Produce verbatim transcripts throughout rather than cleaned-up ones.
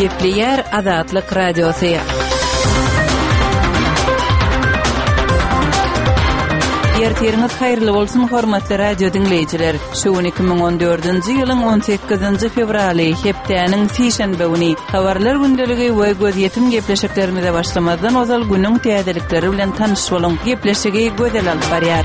Gepleýär Azatlyk Radiosy. Ertiriňiz haýyrly bolsun, hormatly radio diňleýjiler. Şu gün iki müň on dördünji ýylyň on sekizinji fewraly, hepdäniň sişenbe güni. Habarlar gündeligi we gözýetim gepleşiklerimize başlamazdan ozal günüň täzelikleri bilen tanyş boluň. Gepleşigi Gözel alyp barýar.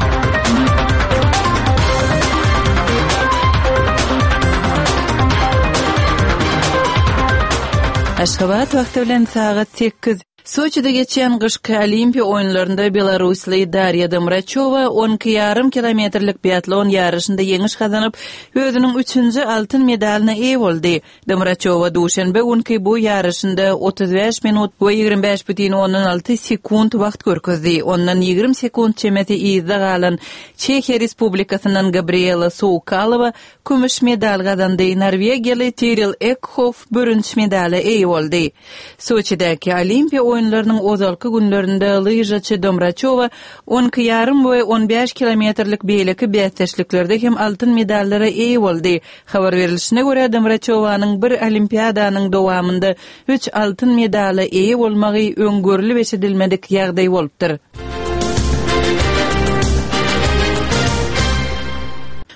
Aşgabat wagty bilen sagat sekiz. Soçide geçýän gyşky Olimpiýa oýunlarynda belarusly Darýa Domraçowa on iki ýarym kilometrlik biatlon ýaryşynda ýeňiş gazanyp, özüniň üçünji altyn medalyna eýe boldy. Domraçowa duşenbe günki bu ýaryşynda otuz bäş minut we ýigrimi bäş bütin ondan alty sekunt wagt görkezdi. Ondan ýigrimi sekunt çemesi yzda galan Çehiýa Respublikasyndan Gabriela Soukalowa kümüş medal gazandy, norwegiýaly Tiril Ekhof bürünç medala eýe boldy. Soçidäki Olimpiýa oýunlarynyň ozalky günlerinde lyžaçy Domraçowa on iki ýarym we on bäş kilometrlik beýleki bäsdeşliklerde hem altyn medallara eýe boldy. Habar berilişine görä, Domraçowanyň bir olimpiadanyň dowamynda üç altyn medala eýe bolmagy öň görlüp eşidilmedik ýagdaý bolupdyr.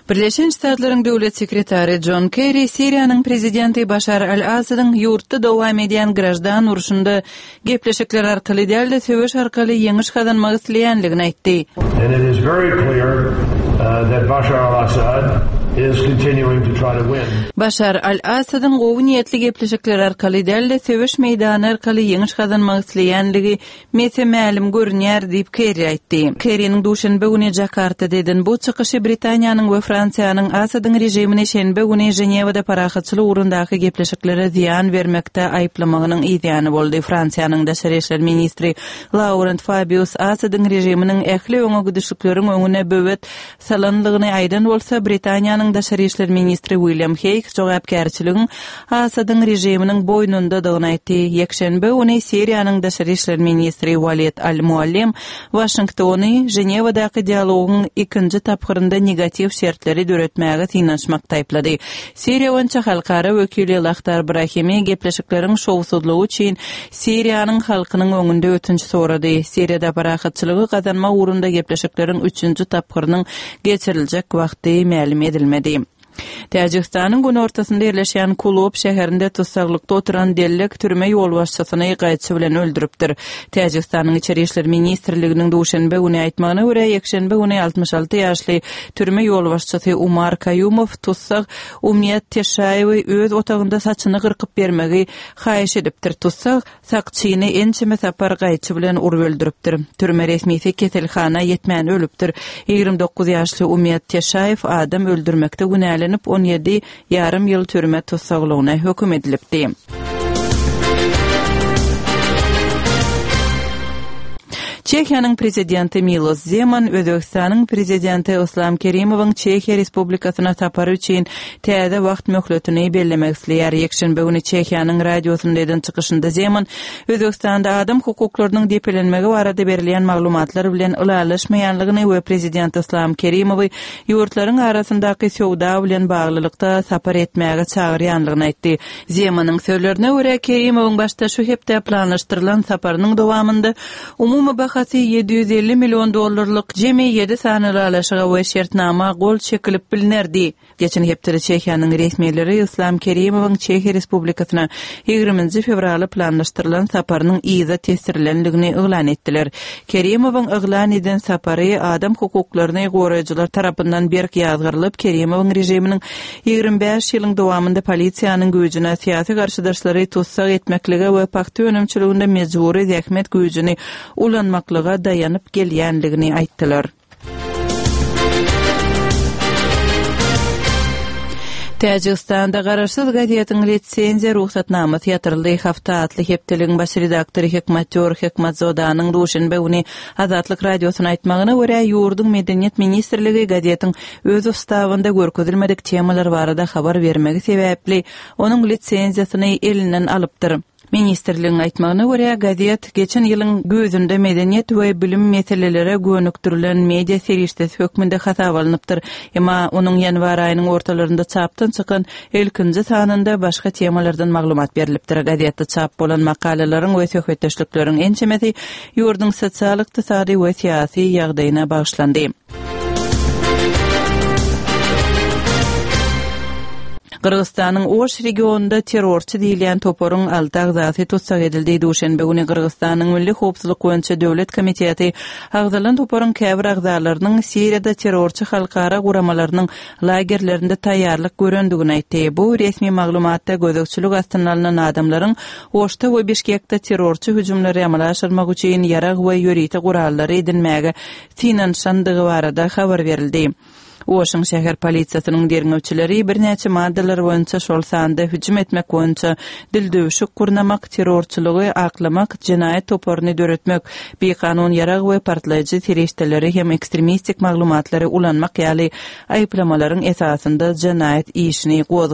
Birleşen Ştatlaryň döwlet sekretary John Kerry Siriýanyň prezidenti Başar al-Asadyň ýurtda dowam edýän graždan urşunda gepleşikler arkaly däl-de söweş arkaly ýeňiş gazanmak isleýänligini aýtdy. And it is very clear, uh, that Bashar al-Assad is continuing to try to win. Başar al-Asadyň gowy niýetli gepleşikler arkaly däl-de söweş meýdany arkaly ýeňiş gazanmak isleýänligi mese-mälim görünýär diýip Kerry aýtdy. Kerryniň duşenbe güni Jakartada eden bu çykyşy Britaniýanyň we Fransiýanyň Asadyň režimini şenbe güni Ženewada parahatçylyk ugrundaky gepleşiklere zyýan bermekde aýyplamagynyň yzýany boldy. Fransiýanyň daşary işler ministri Laurent Fabius Asadyň režiminiň ähli öňe gidişlikleriň öňüne böwet salanlygyny aýdan bolsa, Britaniýanyň daşary işler ministri William Hague jogapkärçiligiň Asadyň režiminiň boýnundadygyny aýtdy. Ýekşenbe güni Siriýanyň daşary işler ministri Walid Al-Muallim Waşingtony Ženewadaky dialogyň ikinji tapgyrynda negatiw şertleri döretmäge synanyşmak taýplady. Siriýa boýunça halkara wekili Lakhdar Brahimi gepleşikleriň şowsuzlygy üçin Siriýanyň halkynyň öňünde ötünç sorady. Siriýada parahatçylygy gazanmak ugrunda gepleşikleriň üçünji tapgyrynyň geçiriljek wagty mälim edilmedi. Täjigistanyň günortasynda ýerleşýän Kulob şäherinde tussaglykda oturan dellek türme ýolbaşçysyny gaýçy bilen öldüripdir. Täjigistanyň İçeri İşler Ministrliginiň duşenbe güni aýtmagyna görä, ýekşenbe güni altmyş alty ýaşly türme ýolbaşçysy Umar Kaýumow tussag Umyýet Teşaýewi öz otagynda saçyny gyrkyp bermegi haýyş edipdir. Tussag sakçyny ençeme sapar gaýçy bilen urup öldüripdir. Türme resmisi keselhana ýetmän ölüpdir. Ýigrimi dokuz ýaşly Umyýet Teşaýew adam öldürmekde günälenip on ýedi ýarym ýyl türme tussaglygyna höküm edilipdi. Çehiýanyň prezidenti Milos Zeman Özbekistanyň prezidenti Islam Kerimowyň Çehiýa Respublikasyna sapary üçin täze wagt möhletini bellemek isleýär. Ýekşenbe güni Çehiýanyň radiosynda eden çykyşynda Zeman Özbekistanda adam hukuklarynyň depelenmegi barada berilýän maglumatlar bilen ylalaşmaýanlygyny we prezident Islam Kerimowy ýurtlaryň arasyndaky söwda bilen baglylykda sapar etmäge çagyrýanlygyny aýtdy. Zemanyň sözlerine görä, Kerimowyň başda şu hepde planlaşdyrylan saparynyň dowamynda umumy bahasy ýedi ýüz elli million dollarlyk jemi ýedi sany ylalaşyga we şertnama gol çekilip bilinerdi. Geçen hepdede Çehiýanyň resmileri Islam Kerimowyň Çehiýa Respublikasyna ýigriminji fewraly planlaşdyrylan saparynyň yza tesdirilenligini yglan etdiler. Kerimowyň yglan eden sapary adam hukuklaryny goraýjylar tarapyndan berk ýazgyrylyp, Kerimowyň režiminiň ýigrimi bäş ýylyň dowamynda polisiýanyň güýjüne syýasy garşydaşlary tussag etmeklige we pagta önümçiliginde mejbury zähmet güýjüni ulanmaklyga daýanyp gelýänligini aýtdylar. Täjigistanda garaşsyz gazetiň litsenziýa ruhsatnamasy ýatyryldy. Hafta atly hepdeligiň baş redaktory Hikmatyor Hikmatzodanyň duşenbe güni Azatlyk radiosyna aýtmagyna görä, ýurduň Medeniýet ministrligi gazetiň öz ustabynda görkezilmedik temalar barada habar bermegi sebäpli onuň litsenziýasyny elinden alypdyr. Ministrligiň aýtmagyna görä, gazet geçen ýylyň güýzünde medeniýet we bilim meselelere gönükdirilen media serişdesi hökmünde hasaba alnypdyr. Emma onuň ýanwar aýynyň ortalarynda çapdan çykan ilkinji sanynda başga temalardan maglumat berlipdir. Gazetde çap bolan makalalaryň we söhbetdeşlikleriň ençemesi ýurduň sosial-ykdysady we syýasy ýagdaýyna bagyşlandy. Gyrgyzystanyň Oş regionynda terrorçy diýilýän toparyň alty agzasy tussag edildi. Duşenbe güni Gyrgyzystanyň Milli howpsuzlyk boýunça döwlet komiteti agzalan toparyň käbir agzalarynyň Siriýada terrorçy halkara guramalarynyň lagerlerinde taýýarlyk görendigini aýtdy. Bu resmi maglumatda gözegçilik astyna alnan adamlaryň Oşda we Bişkekde terrorçy hüjümleri amala aşyrmak üçin ýarag we ýörite gurallary edinmäge synanyşandygy barada habar berildi. Oşuň şäher polisiýasynyň derňewçileri birnäçe maddalar boýunça, şol sanda hüjüm etmek boýunça dildüwşük gurnamak, terrorçylygy aklamak, jenaýat toparyny döretmek, bikanun ýarag we partlaýjy serişdeleri hem ekstremistik maglumatlary ulanmak ýaly aýyplamalaryň esasynda jenaýat işini gozgady.